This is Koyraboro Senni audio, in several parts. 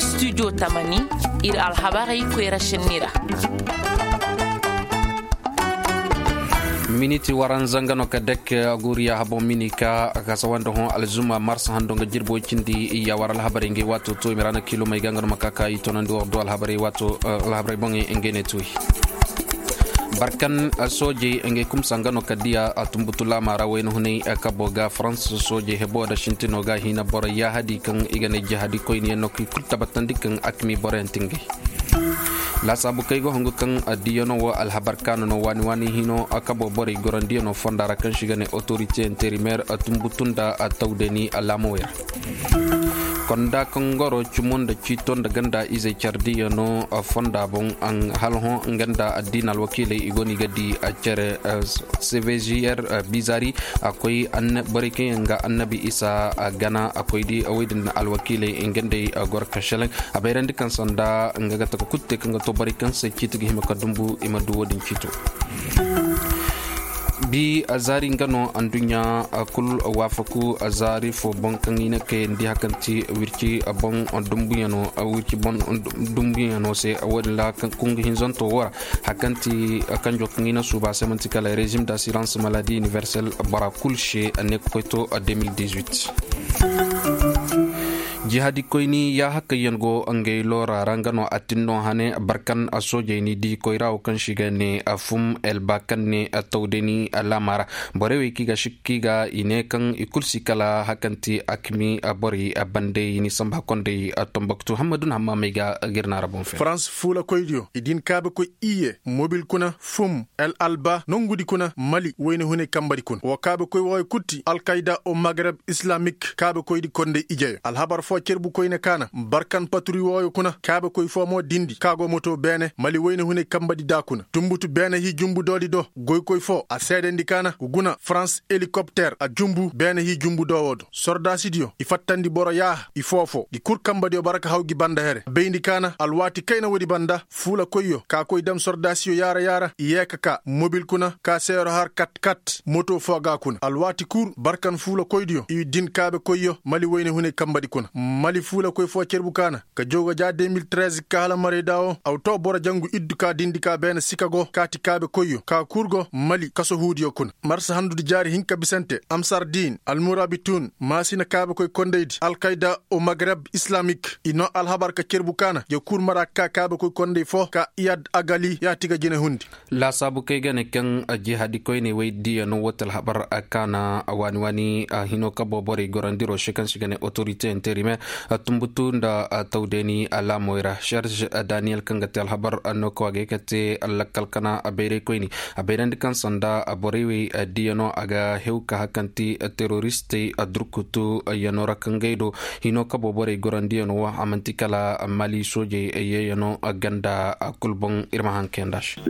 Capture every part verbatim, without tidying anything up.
Studio tamani, ir alhabarey koyra šenni ra. Miniti waranza nga no ka dek aguriya habon minika. Kasa wanda hõ alzuma mars hando nga jirbo cindi. Iya war alhabarey ngay wato to imira na kilo may ga nga no ma kaka i tonandi war do alhabarey wato alhabarey boŋey ngay ne tuwi. Barkan soojey ngey kumsa nga no ka diya a tumbutu laama ra wayna hunay kabo ga farans soojey hebo da sintino ga hina boro yahadi kaŋ i ga ne jihadi koyniyaŋ no ka i kulu tabatandi kaŋ akmi boroyaŋ tingay. Laasaabu kay ga hongu kaŋ diyano wo alhabar kaano no waani waani hino kabo borey gorandiyano fonda ra kaŋ si ga ne autorite interimer tumbutu nda tawdani laamawey ra. Konda kaŋ goro cumo nda ciito nda ganda izey cardiyano fonda boŋ. Hala hõ nga nda addiina alwakiiley i go no i ga di cere cvgr bizari. A koy borey kaŋ yaŋ ga annabi isa gana a koy di woy din alwakiiley nga nd'ey goro ka šelaŋ. A bayrandi kaŋ sanda nga ga taka kulu te kaŋ ga to borey kaŋ se ciiti ga hima ka dumbu i ma du wo-din ciito. Bi zaari nga no anduɲɲa kul waafaku zaari fo boŋ kaŋ i na kayandi hakanti wirci boŋ dumbuyaŋo wirci boŋ dumbuyaŋo se. Wo-din ra kaŋ kungu hinzanto wo ra hakanti kanjo kaŋ i na suuba se manti kala régime d'assurance maladie universelle bora kul se a ne ka koy to deux mille dix-huit. Jihadi koyni ya hakayyaŋ go ngey loora ra nga no a tin no hane barkan soojey ni di koyra wo kaŋ si ga ne fum elba kaŋ ne tawdani laama ra. Borey wey kaŋ i ga sikki ga i ne kaŋ i kulu si kala hakanti akmi borey bandey ni samba kondey. Tomboktu hammadun hamma may ga girna ra boŋ fe farans fuulakoydiyo i din kaabekoy iye mobil kuna fum el alba nongudi kuna mali wayna hunay kambadi kuna wo kaabekoy wooyo kulu ti alkayda o magreb islamik kaabekoydi kondey ijeyo alhabar fo cerbu koyne kaana barkan paturi wooyo kuna kaabekoy fo mo dindi ka go moto beene mali wayna hunay kambadi da kuna tumbutu beene hii jumbu doodi do goykoy fo a seedandi kaana guna farans helikopter a jumbu beene hii jumbu do woo do sordaasidiyo i fattandi boro yaaha i foofo gi kul kambadiyo bara ka haw gi banda here bayndi kaana alwaati kayna woodi banda fuulakoyyo ka koy dam sordaasiyo yaara yaara i yee ka ka mobil kuna ka seero har kat kat moto foo ga kuna alwaati kul barkan fuulakoydiyo i din kaabekoyyo mali wayne hunay kambadi kuna mali fuulakoy foo cerbu kaana ka jooga ja deux mille treize ka hala marayda wo aw to boro jangu iddu ka dindi ka beene sika go ka ti kaabekoyyo ka kul go mali kaso huudiyo kuna marsa handudi jaari hinka bisante amsar diin almurabitun maasina kaabekoy kondaydi alkayda o magreb islamik i noo alhabar ka cerbu kaana ya kul mara ka kaabekoy konday fo ka iyad agali ya ti ga jine hundi laasaabu kay ga ne kaŋ jihadi koyney wey diya no woo ti alhabar kaana waani waani hino ka booborey gorandiro se kaŋ si ga ne otorite interimer tumbutu nda tawdeeni alaamoy ra serge daniyel kaŋ ga te alhabar no ka waagay ka te lakkal kana bayraykoyni a bayrandi kaŋ sanda borey wey diyano a ga hew ka hakanti teroristey durkutu yano ra kaŋ gay do hino ka booborey gorandiyanoo a man'ti kala mali soojey yeeyano ganda kul boŋ ir ma haŋ kayanda se.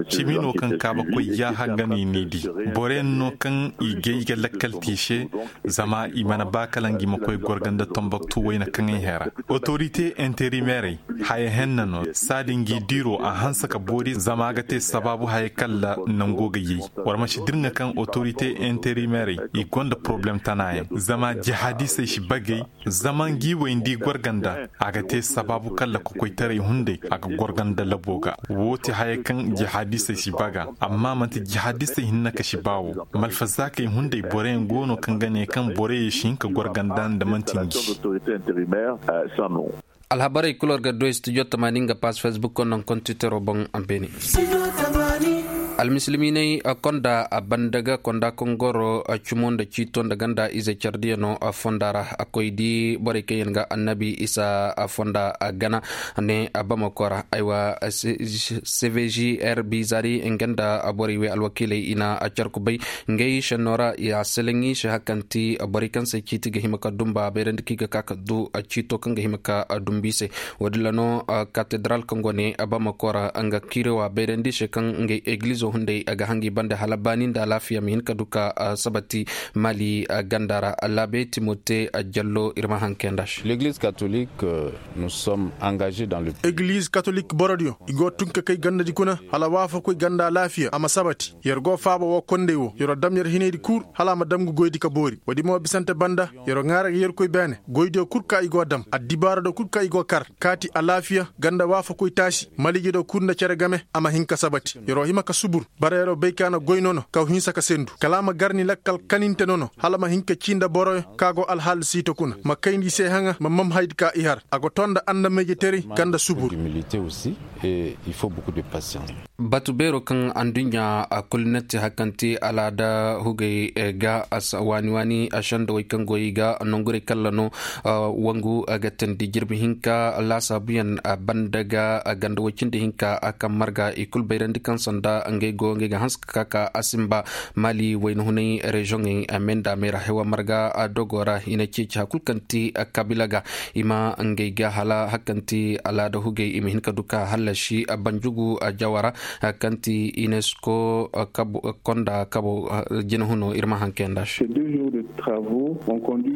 Cimi no kaŋ kaabakoy yaaha nga no i n'i di boroyaŋ no kaŋ i gay ga lakkal te i se zama i mana ba kala ngi ma koy gorganda tomboktu wayna kaŋ ay hera otorite interimerey haya henna no saadi ngi diiro a hanse ka boori zama a ga te sabaabu haya kalla nango ga yay war ma si dirŋa kaŋ otorite interimerey i gonda poroblem tanaayaŋ zama jihadisey si bagay zama ngi way nda i gorganda a ga te sabaabu kalla kokoytaray hunday a ga gorganda labo ga woo ti haya kaŋ jihadisey si baga amma man'ti jihadisey hinne ka si baa woo malfazaakey hunday boroyaŋ go no kaŋ ga ne kaŋ borey si hin ka gorganda nda man'ti ngi. Alhabarey kul war ga du studio tamaani nga paas facebook konnaŋ kontitero boŋ a beene. Almisilimiiney konda a banda ga konda kaŋ goro cumo nda ciito nda ganda ize cardiyano fonda ra a koy di borey kaŋ yaŋ ga annabi isa fonda gana ne a bamako ra aywa cvgr bizari nga nda borey wey alwakiiley i na a carku bay ngey šenno ra i a seleŋ i se hakanti borey kaŋ se ciiti ga hima ka dumba a bayrandi kaŋ i ga ka ka du ciito kaŋ ga hima ka dumbu i se. Woodin ra no katedral kaŋ go ne bamako ra nga kiirewa bayrandi se kaŋ ngey egilizo Hunday ga hangi banda hala baani nda alaafiya ma hin ka du ka sabati mali ganda ra. Laabe timote jallo ir ma hanke nda se. Egliz katolik borodiyo i go tun ka kay gandadi kuna hala waafakoy ganda alaafiya a ma sabati. Yer go faaba woo konday woo yer dam yer hinaydi kul hala a ma dam ga goydi ka boori woodi mo bisante banda. Yer ŋaara ga yerkoy beene goydiyo kul ka i go dam addibaarado kul ka i go kar kaati alaafiya ganda waafakoy taasi maliijado kul nda cere game. A ma hin ka sabati yer hima ka subur. Bara yer bay ka na goy nono ka hinsa ka sendu kala a ma gar ni lakkal kaninte nono hala ma hin ka cii nda boroyo ka go alhaal siito kuna ma kayndi i se haŋa ma mam haydi ka i har a go too nda annamayjetaray. Ganda subur. Batu beero kaŋ anduɲɲa kul na ti hari kaŋ ti alaada hugey ga waani waani sendawey kaŋ go i ga nongurey kalla no. Wangu ga teendi jirbi hinka laasaabuyaŋ banda ga ganda woy cindi hinka kaŋ marga i kul bayrandi kaŋ sanda ngey go ngey ga hanse ka ka ka a sinba. Mali wayna hunay reziyoŋey me nda me ra hewa marga dogo ra i na ceeci hari kul kaŋ ti kabila ga i ma ngey ga hala hari kaŋ ti alaada hugey i ma hin ka du ka hallasi banjugu jawara. Kaŋ ti unesco konda kabo jinahuno ir ma hanke nda se.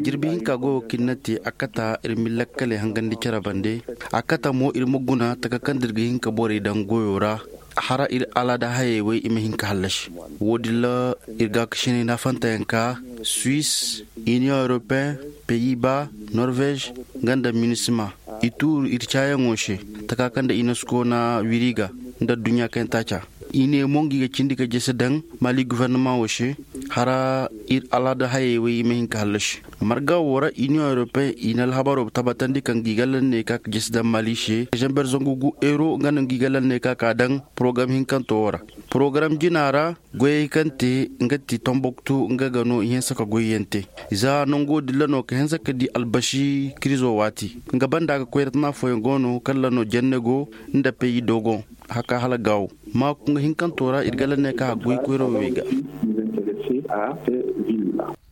Jirbi hinka goyo kaŋ ir na te a kata ir ma ir lakkaley hangandi cere bande. A kata mo ir ma guna taka kaŋ da ir ga hin ka borey daŋ goyo ra. Hara ir alaada hayey wey i ma hin ka hallasi. Woodin ra ir gaakasiney naafantayaŋ ka suwis, iniyoŋ europeyen, peyi ba, norvez, nga nda minisma. I tuuru ir caayaŋo se taka kaŋ nda unesco na wiriga nda adduɲɲa kaŋ yaŋ taaca. I ne mo ngi ga cindi ka jese daŋ mali gofornama wo se. Hara ir alaada hayey wey i ma hin ka hallasi. Marga wo ra iniyoŋ europeyen i na alhabaro tabbatandi kaŋ ngi ga lal ne ka ka jese daŋ mali se zember zangu gu euro nga no ngi ga lal ne ka ka daŋ. Porogaram hinkanto wo ra. Porogaram jina ra goyey kaŋ te nga ti tomboktu nga ga no i hinsa ka goyyaŋ te. Za nango dilla no ka hinsa ka di albasi kirizo waati. Nga banda ga koyra tana fooyaŋ go no kalla no jenne go nda peyi dogon. Haka hala gaawo maaku nga hinkanto ra ir ga lal ne ka a goy koyra wey ga.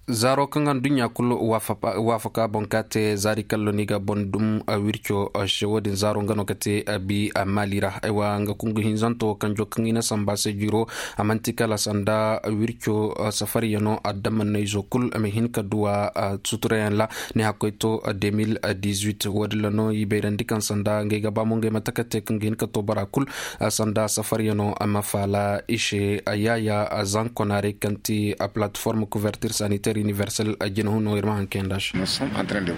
Zaaro kaŋ anduɲɲa kulu waafaka boŋ ka te zaari kallo ni ga boŋ dum wirco se wo-din zaaro nga no ga te bi maali ra. Aywa nga kungu hinzanto kaŋ jo kaŋ i na samba se jiro. A man'ti kala sanda wirco safariyano adamannayzo kulu a ma hin ka duwa suturayaŋ ra. Ni hakkoy to de mil dizuit wo-din ra no i bayrandi kaŋ sanda ngey ga ba mo ngey ma taka te kaŋ ga hin ka to bora kulu. Sanda safaryano a ma faala i se. Yaaya zankonaarey kaŋ ti a plateforme couverture sanitaire universel a jinahuno ir ma haŋ kayanda se.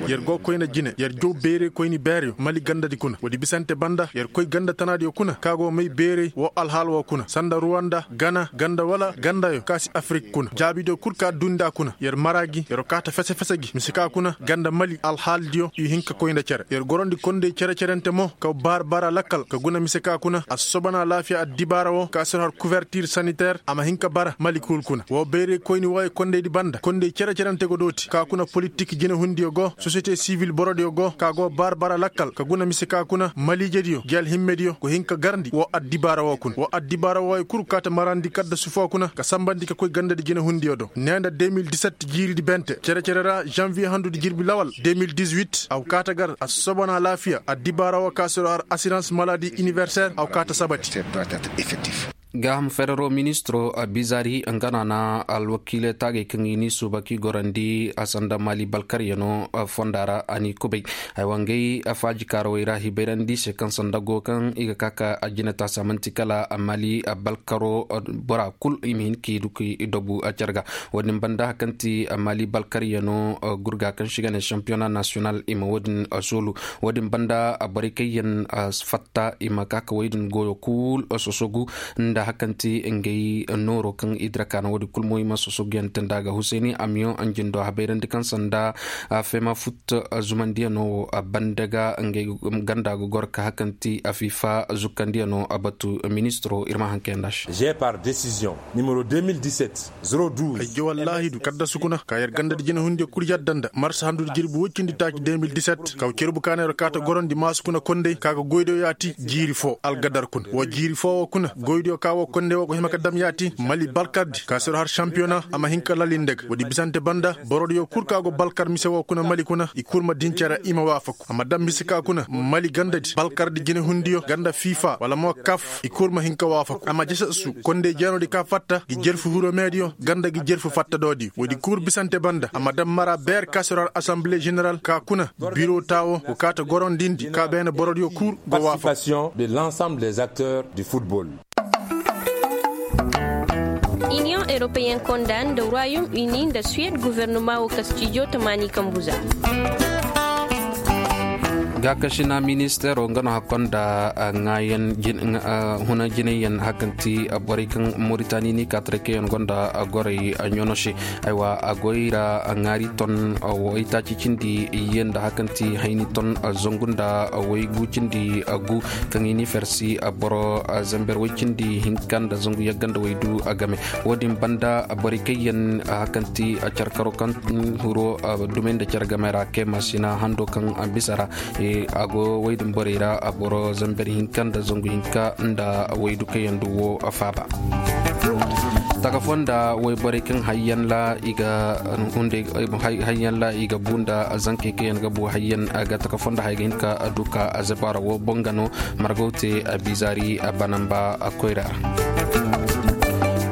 Yer go koyne jine yer jaw beerey koyni beereyo mali gandadi kuna woodi bisante banda yer koy ganda tanaadiyo kuna ka go may beerey woo alhaal woo kuna sanda ruwanda gana ganda wala gandayo ka si afirik kuna jaabidiyo kul ka dundi a kuna yer mara gi yer kaata fese fese gi mise ka kuna ganda mali alhaaldiyo i hin ka koy nda cere yer gorondi kondey cere cerente mo ka baar bara lakkal ka guna mise ka kuna a si sobanaa laafiya addibaara woo ka si har kuvertir saniter a ma hin ka bara mali kul kuna woo bayray koyni wooyo kondeydi banda kondey cere cerente go dooti ka kuna politik jinehundiyo go sosiyete sivil borodiyo go ka go baar bara lakkal ka guna mise ka kuna maliijediyo gi alhimmediyo go hin ka garndi woo addibaara woo kuna woo addibaara wooyo kul kaata marandi kadda sufoo kuna ka sambandi ka koy gandadi jinehundiyo do nee nda de mil diset jiiridi bente cere cere ra zanviye handudi jirbi lawal de mil dizuit a go kaata gar a si sobanaa laafiya addibaara woo ka si har asirans maladi iniverser a go kaata sabati. Gaaham ferero ministiro bizaari nga no a na alwakiiley taagey kaŋ i n'i suuba k'i gorandi a sanda maali balkaryano fonda ra a n'i kubay. Haywa ngey faajikaarawey ra hibayrandi se kaŋ sanda go kaŋ i ga ka ka a jinetaasi a man'ti kala maali balkaro bora kul i ma hin k'i du k'i dobu care ga. Wo-din banda hari kaŋ ti maali balkaryano gurga kaŋ se i ga ne sampiyona nasiyonal i ma wo-din soolu. Wo-din banda borey kaŋ yaŋ fatta i ma ka ka wey din goyo kul sosogu nda hari kaŋ ti ngey nooro kaŋ i dira kaana wo-din kul mo i ma sosoguyaŋ te nda ga husayni amiyoŋ anjindo habayrandi kaŋ sanda fema fut zumandiyano banda ga ngey ganda ga goro ka hari kaŋ ti afifa zukkandiyano batu ministiro ir ma haŋ kayanda se. Ay jawal laahidu kaddasu kuna ka yer gandadi jinehundiyo kul yadda nda marsa handu nda jirbi woy cindi taaci de mil diset kaw cerbu ka na yer kaata gorondi maasu kuna kondey ka ga goydiyo yaati jiiri foo algadar kuna woo jiiri foo woo kuna goydiyo ka Wo konde wo go hima ka dam yaati mali balkardi ka siro har šampiyona a ma hin ka lali nda ga woodi bisante banda borodiyo kul ka go balkar mise wo kuna mali kuna i kul ma din cere i ma waafaku a ma dam mise ka kuna mali gandadi balkardi jinehundiyo ganda fifa wala mo kaf i kul ma hin ka waafaku a ma jese su konde jeenodi ka fatta gi jerfu huromediyo ganda gi jerfu fattadoodiyo woodi kul bisante banda a ma dam mara beer ka siro har asamble ženeral ka kuna biro taawo go kaata gorondindi ka beene borodiyo kul go waafaku. Iniyoŋ europeyen konda nda royaume uni nda suwed guvernoma wo kastijo tamaani kambu za. Gaakasina ministeero nga no hakkonda ŋaayan huna jinayyan hakanti borey kaŋ moritani ni kaataray kaŋ yaŋ gonda goray ɲono se. Aywa a goy ra ŋaari ton waytaaci cindi iyye nda hakanti hayni ton zangu nda waygu cindi gu kaŋ i ni fersi boro zamber way cindi hinka nda zangu yagga nda waydu game. Wo-din banda borey kaŋ yaŋ hakanti carkaro kaŋ huro dumey nda care game ra kema sina hando kaŋ bisa ra a go way din borey ra boro zamber hinka nda zangu hinka nda waydu kaŋ yaŋ du wo faaba. Taka fonda wayborey kaŋ hayyan ra i ga hunday hayyan ra i ga bu nda zankey kaŋ yaŋ ga bu hayyan ga taka fonda hay ga hin ka du ka zabara wo boŋ ga no margaw te bizaari banamba koyra ra.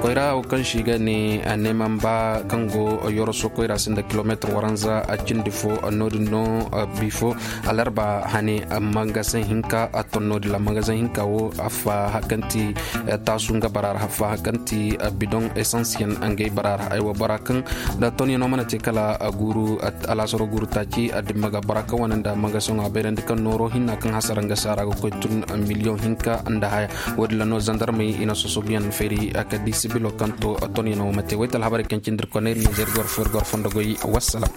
Koyra wo kaŋ se i ga ne neemanba kaŋ go yoroso koyra se nda kilomeetir waranza cindi fo no-din no bifo alarba hane mangazaŋ hinka a ton no-din ra mangazaŋ hinka wo affa hakanti taasu nga bara ra affa hakanti bidoŋ esansiyaŋ ngey bara ra aywa bora kaŋ da ton yaŋ no mana te kala guuru alaasaro guuru taaci addimma ga bora kaŋ wane nda mangazaŋo a bayrandi kaŋ nooro hinna kaŋ hasara nga se a ra ga koy tun miliyoŋ hinka nda haya. Wo-din ra no zandarmey i na sosoguyaŋ fayri ka di sibilo kaŋ to ton yaŋ no ma te wayta alhabarey kaŋ cindi ir koney ir nizer gor fo ir gor fondo goy. Wassalam.